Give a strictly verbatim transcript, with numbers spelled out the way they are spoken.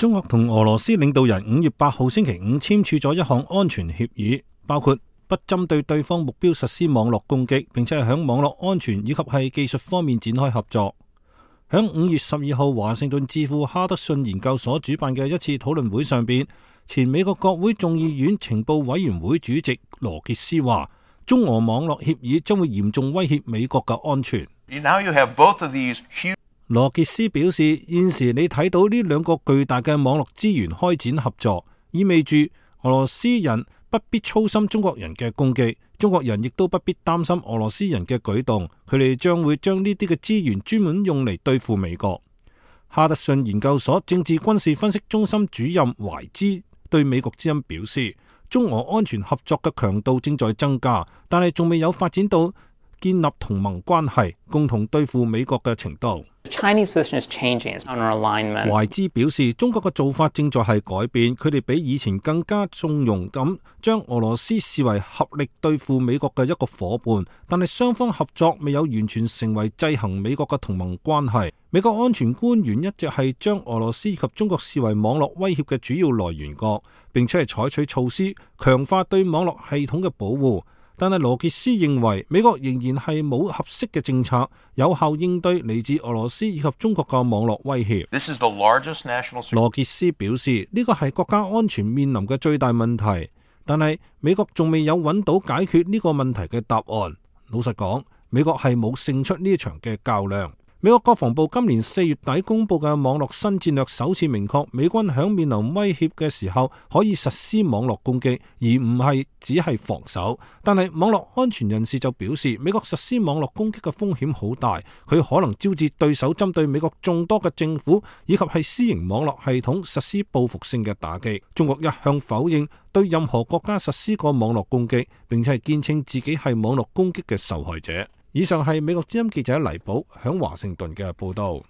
中國同俄羅斯領導人五月八號星期五簽署咗一項安全協議，包括不針對對方目標實施網絡攻擊，並且係響網絡安全以及係技術方面展開合作。響五月十二號華盛頓智庫哈德遜研究所主辦嘅一次討論會上邊，前美國國會眾議院情報委員會主席羅傑斯話，中俄網絡協議將會嚴重威脅美國嘅安全。Now you have both of these huge... 羅傑斯表示，現時你睇到呢兩個巨大嘅網絡資源開展合作，意味住俄羅斯人不必操心中國人嘅攻擊，中國人亦都不必擔心俄羅斯人嘅舉動，佢哋將會將呢啲嘅資源專門用嚟對付美國。哈德遜研究所政治軍事分析中心主任懷茲對美國之音表示，中俄安全合作嘅強度正在增加，但係仲未有發展到建立同盟關係，共同對付美國嘅程度。Chinese position is changing. It's under alignment. 懷茲表示，中國嘅做法正在係改變，佢哋比以前更加縱容咁將俄羅斯視為合力對付美國嘅一個夥伴，但係雙方合作未有完全成為制衡美國嘅同盟關係。美國安全官員一直係將俄羅斯以及中國視為網絡威脅嘅主要來源國，並且係採取措施強化對網絡系統嘅保護。但係羅傑斯認為，美國仍然係冇合適嘅政策，有效應對嚟自俄羅斯以及中國嘅網絡威脅。This is the largest national... 羅傑斯表示，呢個係國家安全面臨嘅最大問題，但係美國仲未有揾到解決呢個問題嘅答案。老實講，美國係冇勝出呢一場嘅較量。美國國防部今年四月底公布嘅網絡新戰略首次明確，美軍響面臨威脅嘅時候可以實施網絡攻擊，而唔係只係防守。但係網絡安全人士就表示，美國實施網絡攻擊嘅風險好大，佢可能招致對手針對美國眾多嘅政府以及係私營網絡系統實施報復性嘅打擊。中國一向否認對任何國家實施過網絡攻擊，並且係堅稱自己係網絡攻擊嘅受害者。以上係美國之音記者黎寶響華盛頓嘅報道。